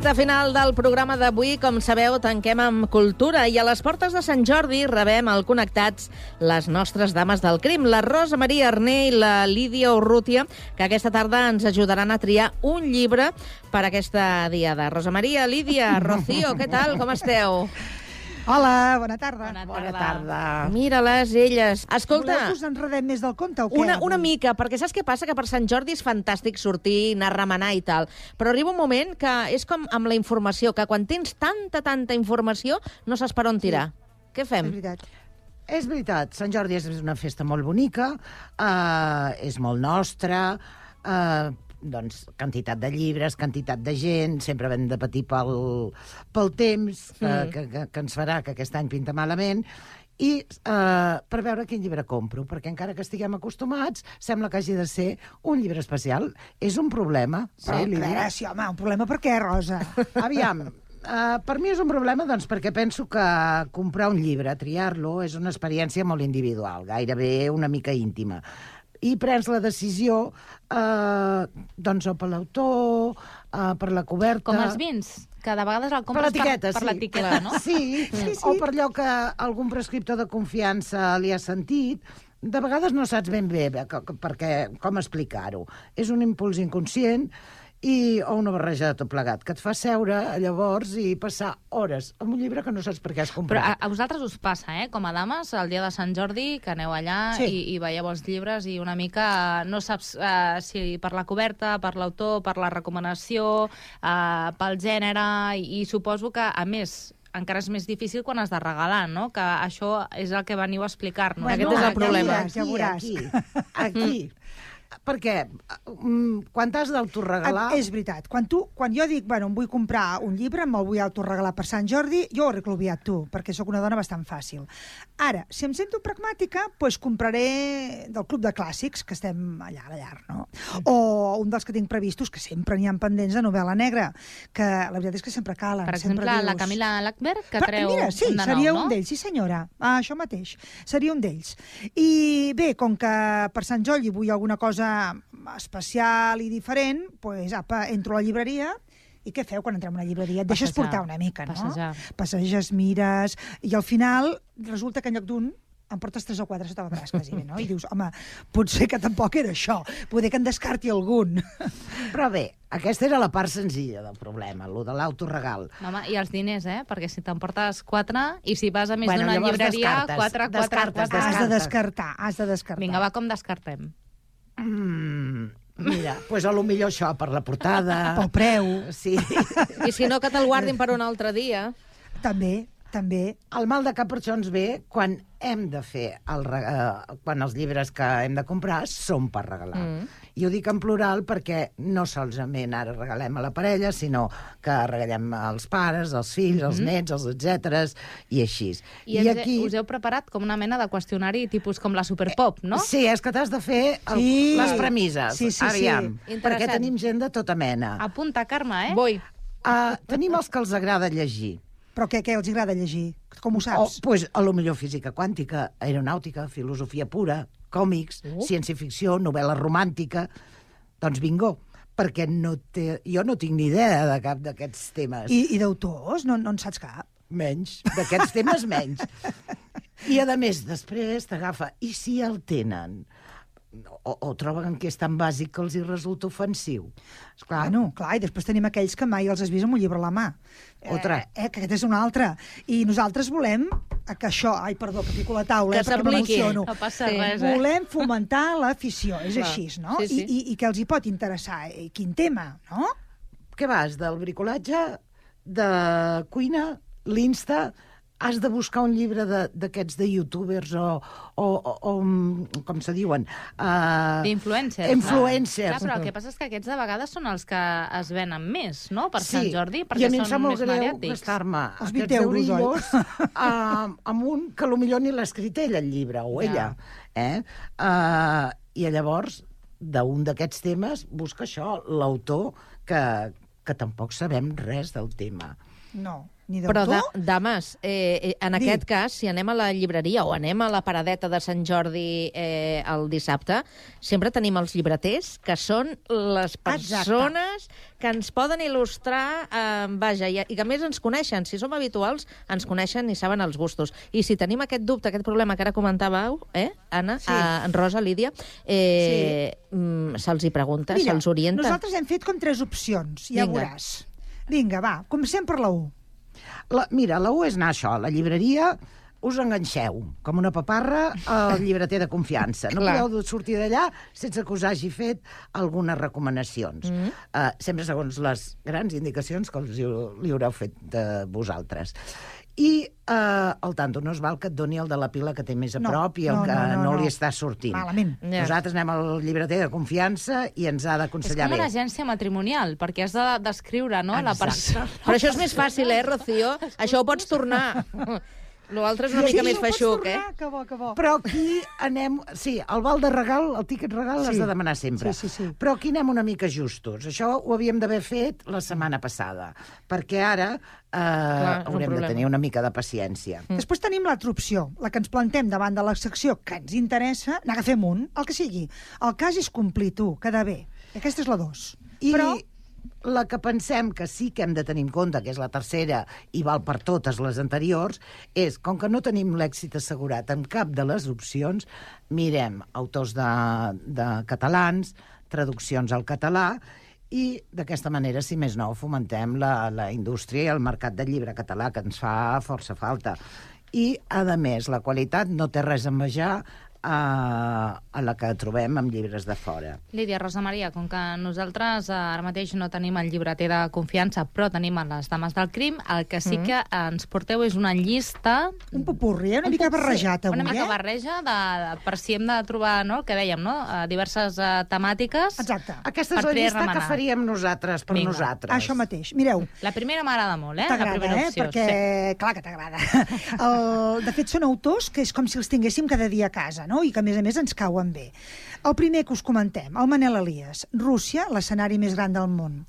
Recte final del programa d'avui. Com sabeu, tanquem amb cultura i a les portes de Sant Jordi rebem al Connectats les nostres dames del crim, la Rosa Maria Arné i la Lídia Urrutia, que aquesta tarda ens ajudaran a triar un llibre per aquesta diada. Rosa Maria, Lídia, Rocío, què tal? Com esteu? Hola, bona tarda. Bona tarda. Mira-les, elles. Escolta... Voleu que us enredem més del conte o què? Una mica, perquè saps què passa? Que per Sant Jordi és fantàstic sortir, anar a remenar i tal, però arriba un moment que és com amb la informació, que quan tens tanta informació no saps per on tirar. Què fem? És veritat, Sant Jordi és una festa molt bonica, és molt nostra, doncs, quantitat de llibres, quantitat de gent, sempre hem de patir pel temps, que ens farà que aquest any pinta malament, i per veure quin llibre compro, perquè encara que estiguem acostumats, sembla que hagi de ser un llibre especial. És un problema. Sí, sí, home, un problema per què, Rosa? Aviam, per mi és un problema doncs, perquè penso que comprar un llibre, triar-lo, és una experiència molt individual, gairebé una mica íntima. I prens la decisió doncs, o per l'autor, per la coberta... Com els vins, que de vegades el compres per l'etiqueta, no? Sí, o per allò que algun prescriptor de confiança li ha sentit. De vegades no saps ben bé com explicar-ho. És un impuls inconscient o una barreja de tot plegat, que et fa seure llavors i passar hores amb un llibre que no saps per què has comprat. Però a vosaltres us passa, com a dames, el dia de Sant Jordi, que aneu allà i veieu els llibres i una mica no saps si per la coberta, per l'autor, per la recomanació, pel gènere, i suposo que, a més, encara és més difícil quan has de regalar, no? Que això és el que veniu a explicar-nos. Aquest és el problema. Ja veuràs. Aquí. Perquè quan t'has d'autoregalar... És veritat. Quan jo dic, bueno, em vull comprar un llibre, me'l vull autoregalar per Sant Jordi, jo ho arreglo aviat tu, perquè sóc una dona bastant fàcil. Ara, si em sento pragmàtica, doncs compraré del Club de Clàssics, que estem allà a la llar, no? O un dels que tinc previstos, que sempre n'hi ha pendents de novel·la negra, que la veritat és que sempre calen. Per exemple, la Camila Lackberg, que treu un de nou, no? Mira, sí, seria un d'ells, sí senyora. Això mateix, seria un d'ells. I bé, com que per Sant Jordi vull alguna cosa especial i diferent, doncs entro a la llibreria. I què feu quan entrem a una llibreria? Et deixes portar una mica, no? Passeges, mires, i al final resulta que en lloc d'un em portes 3 o 4 sota el braç, quasi bé, no? I dius, home, potser que tampoc era això, poder que en descarti algun. Però bé, aquesta era la part senzilla del problema, el de l'autoregal. No, home, i els diners, perquè si t'emportes 4, i si vas a més d'una llibreria, 4. Has de descartar. Vinga, va, com descartem? Mira, doncs a lo millor això, per la portada... Pel preu. Sí. I si no, que te'l guardin per un altre dia. També. El mal de cap per això ens ve quan hem de fer quan els llibres que hem de comprar són per regalar. I ho dic en plural perquè no solament ara regalem a la parella, sinó que regalem als pares, als fills, als nets, als etcèteres, i així. I aquí us heu preparat com una mena de qüestionari tipus com la Superpop, no? Sí, és que t'has de fer les premisses. Sí. Aviam, perquè tenim gent de tota mena. Apunta, Carme, Vull. Tenim els que els agrada llegir. Però què els agrada llegir? Com ho saps? Doncs, a lo millor física quàntica, aeronàutica, filosofia pura, còmics, ciència-ficció, novel·la romàntica... Doncs bingo, perquè jo no tinc ni idea de cap d'aquests temes. I d'autors? No en saps cap? Menys, d'aquests temes menys. I, a més, després t'agafa... I si el tenen? O troben que és tan bàsic que els hi resulta ofensiu. Clar, i després tenim aquells que mai els has vist amb un llibre a la mà. Que aquest és un altre. I nosaltres volem que això... Ai, perdó, que pico la taula, perquè m'emociono. No passa res, Volem fomentar l'afició, és així, no? Sí. I que els hi pot interessar. Quin tema, no? Què vas, del bricolatge, de cuina, l'Insta... Has de buscar un llibre d'aquests de youtubers o com se diuen? D'influencers. Influencers. Clar, però el que passa és que aquests de vegades són els que es venen més, no?, per Sant Jordi, perquè són més mediàtics. I a mi em sap molt greu gastar-me els 20 euros amb un que potser ni l'ha escrit ell, el llibre, o ella. I llavors, d'un d'aquests temes, busca això, l'autor, que tampoc sabem res del tema. No. ni Però, d'autor. dames, en aquest cas, si anem a la llibreria o anem a la paradeta de Sant Jordi el dissabte, sempre tenim els llibreters, que són les persones que ens poden il·lustrar, vaja, i que a més ens coneixen. Si som habituals, ens coneixen i saben els gustos. I si tenim aquest dubte, aquest problema que ara comentàveu, Anna, Rosa, Lídia, se'ls hi pregunta, se'ls orienta. Nosaltres hem fet com 3 opcions, ja veuràs. Vinga, va, comencem per la 1. Mira, la 1 és anar a això, a la llibreria, us enganxeu, com una paparra, al llibreter de confiança. No podeu sortir d'allà sense que us hagi fet algunes recomanacions. Sempre segons les grans indicacions que li haureu fet de vosaltres. I al tanto, no es val que et doni el de la pila que té més a prop i el que no li està sortint. Malament. Nosaltres anem al llibreter de confiança i ens ha d'aconsellar bé. És com una agència matrimonial, perquè has de descriure, no?, la persona. Però això és més fàcil, Rocío? Això ho pots tornar. L'altre és una mica més feixuc, Que bo, que bo. Però aquí anem... Sí, el val de regal, el tíquet regal l'has de demanar sempre. Sí. Però aquí anem una mica justos. Això ho havíem d'haver fet la setmana passada, perquè ara haurem de tenir una mica de paciència. Després tenim l'altra opció, la que ens plantem davant de la secció que ens interessa, n'agafem un, el que sigui. El cas és complir, tu, quedar bé. Aquesta és la 2. Però la que pensem que sí que hem de tenir en compte, que és la tercera i val per totes les anteriors, és, com que no tenim l'èxit assegurat en cap de les opcions, mirem autors de catalans, traduccions al català, i d'aquesta manera, si més no, fomentem la indústria i el mercat del llibre català, que ens fa força falta. I, a més, la qualitat no té res a envejar a la que trobem amb llibres de fora. Lídia, Rosa Maria, com que nosaltres ara mateix no tenim el llibreter de confiança, però tenim les dames del crim, el que sí que ens porteu és una llista... Un popurri, una mica barrejat avui, Una mica barreja per si hem de trobar, no?, el que dèiem, no?, diverses temàtiques. Exacte. Aquesta és la llista que faríem nosaltres per nosaltres. Això mateix. Mireu. La primera m'agrada molt, la T'agrada, primera opció. Perquè, clar que t'agrada. De fet, són autors que és com si els tinguéssim cada dia a casa, no? I que, a més, ens cauen bé. El primer que us comentem, el Manel Elias, Rússia, l'escenari més gran del món.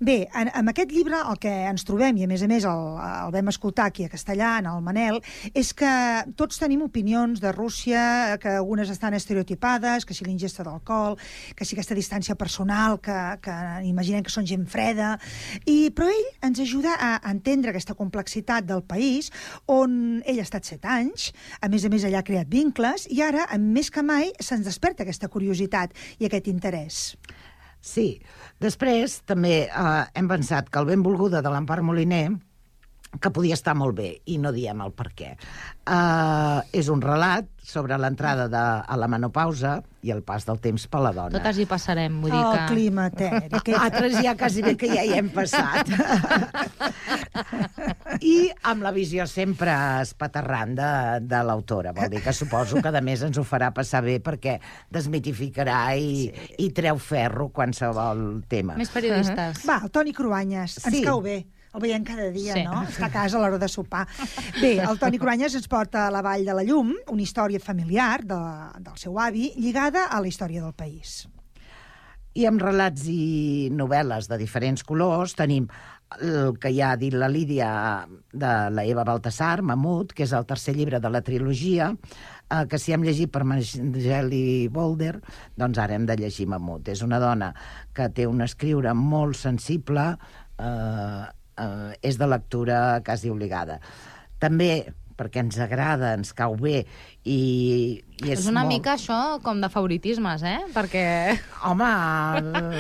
Bé, en aquest llibre el que ens trobem, i a més el vam escoltar aquí a castellà, en el Manel, és que tots tenim opinions de Rússia, que algunes estan estereotipades, que si l'ingesta d'alcohol, que si aquesta distància personal, que imaginem que són gent freda, però ell ens ajuda a entendre aquesta complexitat del país, on ell ha estat 7 anys, a més allà ha creat vincles, i ara, més que mai, se'ns desperta aquesta curiositat i aquest interès. Sí. Després, també hem pensat que el benvolguda de l'Empar Moliner, que podia estar molt bé, i no diem el per què. És un relat sobre l'entrada a la menopausa i el pas del temps per la dona. Totes hi passarem, vull dir que... El climateri. Altres ja quasi bé que ja hi hem passat. I amb la visió sempre espaterrant de l'autora. Vol dir que suposo que, a més, ens ho farà passar bé perquè desmitificarà i treu ferro qualsevol tema. Més periodistes. Va, el Toni Cruanyes. Ens cau bé. El veiem cada dia, no? Està a casa a l'hora de sopar. Bé, el Toni Cruanyes ens porta a la Vall de la Llum, una història familiar del seu avi, lligada a la història del país. I amb relats i novel·les de diferents colors tenim el que ja ha dit la Lídia de la Eva Baltasar, Mamut, que és el tercer llibre de la trilogia, que si hem llegit per Mageli Bolder, doncs ara hem de llegir Mamut. És una dona que té un escriure molt sensible, és de lectura quasi obligada. També perquè ens agrada, ens cau bé i és una mica això com de favoritismes, Perquè... Home...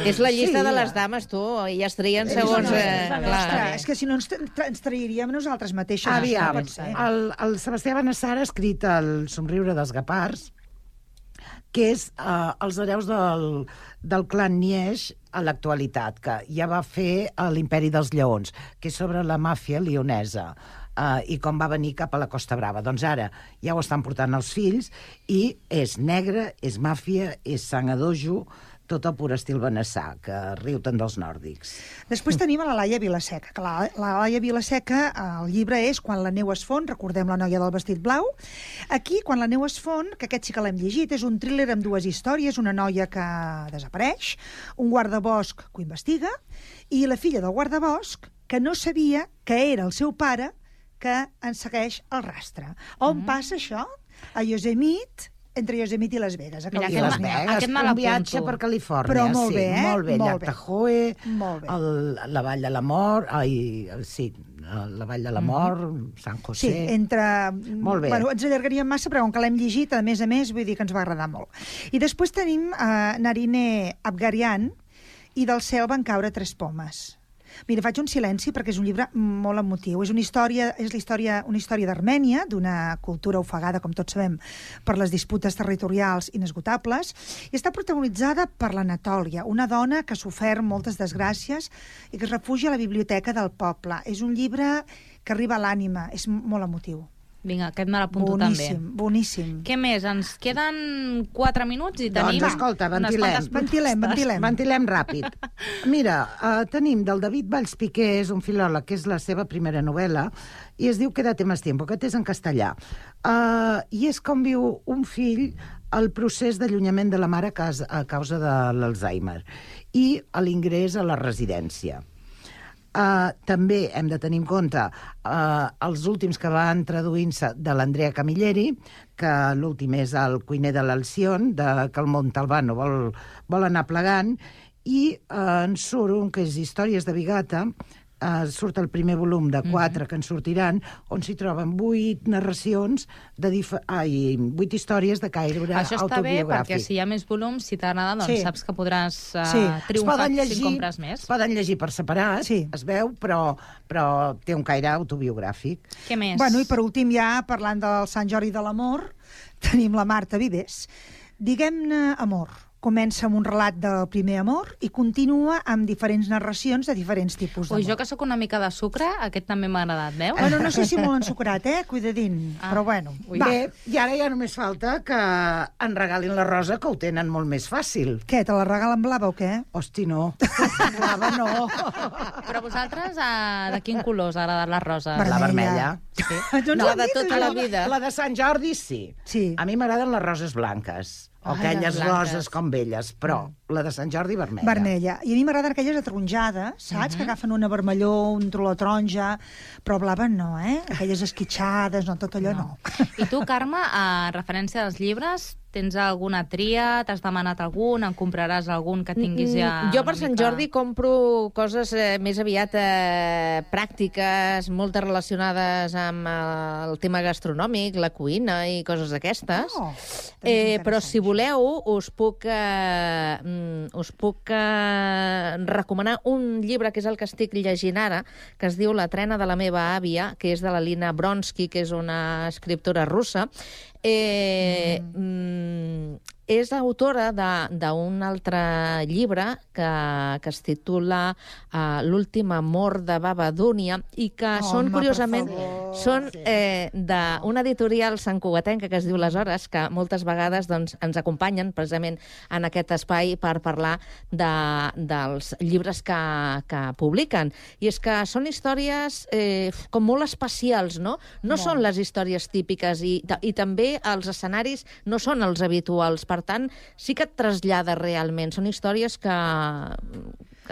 És la llista de les dames, tu, i es trien segons... És que si no ens trairíem nosaltres mateixes. Aviam, el Sebastià Benassar ha escrit El somriure dels guepards, que és els hereus del clan Nieix a l'actualitat, que ja va fer l'Imperi dels Lleons, que és sobre la màfia lionesa, i com va venir cap a la Costa Brava. Doncs ara ja ho estan portant els fills, i és negre, és màfia, és sang a dojo, tot el pur estil Benassar, que riu tant dels nòrdics. Després tenim a la Laia Vilaseca, que la Laia Vilaseca, el llibre és Quan la neu es fon, recordem la noia del vestit blau. Aquí, Quan la neu es fon, que aquest sí que l'hem llegit, és un thriller amb 2 històries, una noia que desapareix, un guardabosc que ho investiga, i la filla del guardabosc, que no sabia que era el seu pare que en segueix el rastre. On passa això? A Yosemite, entre Yosemite i Las Vegas. Mira, I Las Vegas, un viatge per Califòrnia. Però molt bé, eh? Molt bé, llac Tahoe, Molt bé. la Vall de la Mort, la Vall de la Mort, San José... Sí, entre... Molt bé. Bueno, ens allargaríem massa, però com que l'hem llegit, a més, vull dir que ens va agradar molt. I després tenim Narine Abgarian, i del cel van caure 3 pomes. Mira, faig un silenci perquè és un llibre molt emotiu. És una història d'Armènia, d'una cultura ofegada, com tots sabem, per les disputes territorials inesgotables, i està protagonitzada per l'Anatòlia, una dona que ha sofert moltes desgràcies i que es refugia a la biblioteca del poble. És un llibre que arriba a l'ànima, és molt emotiu. Vinga, aquest me l'apunto també. Boníssim. Què més? Ens queden 4 minuts i tenim... Doncs escolta, ventilem ràpid. Mira, tenim del David Valls Piqué, és un filòleg, que és la seva primera novel·la, i es diu Quédate más tiempo, que és en castellà. I és com viu un fill el procés d'allunyament de la mare a causa de l'Alzheimer i l'ingrés a la residència. També hem de tenir en compte els últims que van traduint-se de l'Andrea Camilleri, que l'últim és el cuiner de l'Alción, que el Montalbano vol anar plegant, i en surt un que és Històries de Bigata, surt el primer volum de 4 que en sortiran, on s'hi troben 8 narracions, 8 històries de caire autobiogràfic. Això està bé, perquè si hi ha més volums, si t'agrada, doncs saps que podràs triomfar si compres més. Es poden llegir per separat, es veu, però té un caire autobiogràfic. Què més? Bueno, i per últim, ja parlant del Sant Jordi de l'amor, tenim la Marta Vives. Diguem-ne amor. Comença amb un relat del primer amor i continua amb diferents narracions de diferents tipus d'amor. Ui, jo que sóc una mica de sucre, aquest també m'ha agradat, veus? Bueno, no sé si molt ensucrat, cuidadín, però bueno. Bé, i ara ja només falta que en regalin la rosa, que ho tenen molt més fàcil. Què, te la regalen blava o què? Hosti, no. Blava no. Però vosaltres, de quin color us ha agradat la rosa? La vermella. No, la de tota la vida. La de Sant Jordi, sí. A mi m'agraden les roses blanques. O aquelles roses com velles, però la de Sant Jordi vermella. Vermella. I a mi m'agraden aquelles ataronjades, saps? Que agafen una vermelló, un tolor taronja, però blava no, Aquelles esquitxades, no, tot allò no. I tu, Carme, a referència dels llibres, tens alguna tria? T'has demanat algun? En compraràs algun que tinguis ja... Jo per Sant Jordi compro coses més aviat pràctiques, moltes relacionades amb el tema gastronòmic, la cuina i coses d'aquestes. Però si voleu, us puc recomanar un llibre que és el que estic llegint ara, que es diu La trena de la meva àvia, que és de la Lina Bronsky, que és una escriptora russa. És autora d'un altre llibre que es titula L'últim amor de Baba Dúnia i que són, curiosament, d'una editorial santcugatenca que es diu Les Hores, que moltes vegades ens acompanyen precisament en aquest espai per parlar dels llibres que publiquen. I és que són històries com molt especials, no? No són les històries típiques i també els escenaris no són els habituals. Per tant, sí que et trasllada realment. Són històries que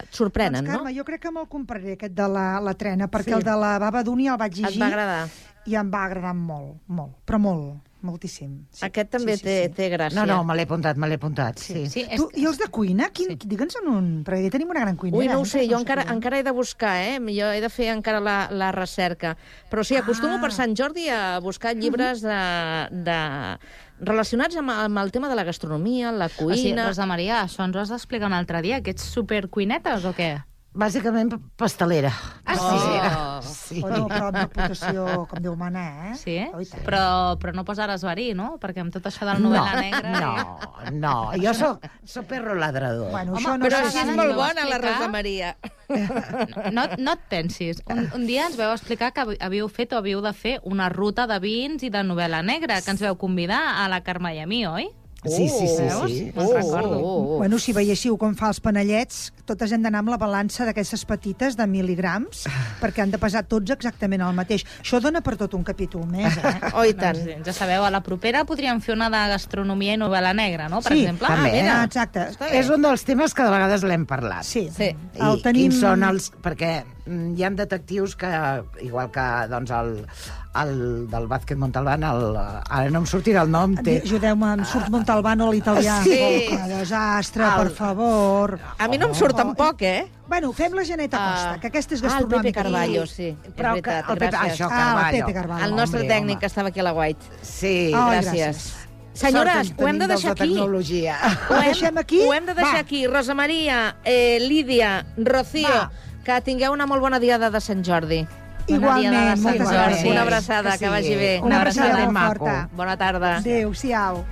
et sorprenen, no? Carme, jo crec que me'l compraré, aquest de la trena, perquè el de la Baba Dúnia el vaig llegir... Et va agradar? I em va agradar molt, però moltíssim. Aquest també té gràcia. No, me l'he apuntat, sí. I els de cuina? Digue'ns un... Perquè ja tenim una gran cuinera. Ui, no ho sé, jo encara he de buscar, Jo he de fer encara la recerca. Però sí, acostumo per Sant Jordi a buscar llibres relacionats amb el tema de la gastronomia, la cuina... O sigui, Rosa Maria, això ens ho has d'explicar un altre dia, que ets supercuinetes o què? Bàsicament pastelera. Sí. Bueno, però amb reputació com Déu mana, Sí? Però no posaràs verí, no? Perquè amb tot això de la novel·la negra... No, jo soc perro ladrador. Bueno, però així és molt bona, la Rosa Maria. No et pensis. Un dia ens vau explicar que havíeu fet o havíeu de fer una ruta de vins i de novel·la negra, que ens vau convidar a la Carme i a mi, oi? Sí. Me'n recordo. Bueno, si veiéssiu com fa els panellets, totes hem d'anar amb la balança d'aquestes petites de mil·ligrams, perquè han de pesar tots exactament el mateix. Això dona per tot un capítol més, Oh, i tant. Ja sabeu, a la propera podríem fer una de gastronomia i novel·la negra, no? Per exemple. També. Exacte. És un dels temes que de vegades l'hem parlat. Sí. I quins són els... Perquè hi ha detectius que, igual que doncs, el del Vázquez Montalbán, ara no em sortirà el nom. Ajudeu-me, em surt Montalbano a l'italià. Sí. Que desastre, per favor. A mi no em surt tampoc, Bueno, fem la Geneta Costa, que aquesta és el Pepe gastronòmica. Carballo, sí. Però és veritat, el Pepe, gràcies. això, Carballo. el Pepe Carballo. El nostre tècnic que estava aquí a la White. Sí, Gràcies. Senyores, ho hem de deixar aquí. Tecnologia. Ho deixem aquí? Ho hem de deixar aquí. Rosa Maria, Lídia, Rocío, que tingueu una molt bona diada de Sant Jordi. Igualment, Una moltes gràcies. Una abraçada, que vagi bé. Una abraçada ben molt maco. forta. Bona tarda. Adéu-siau.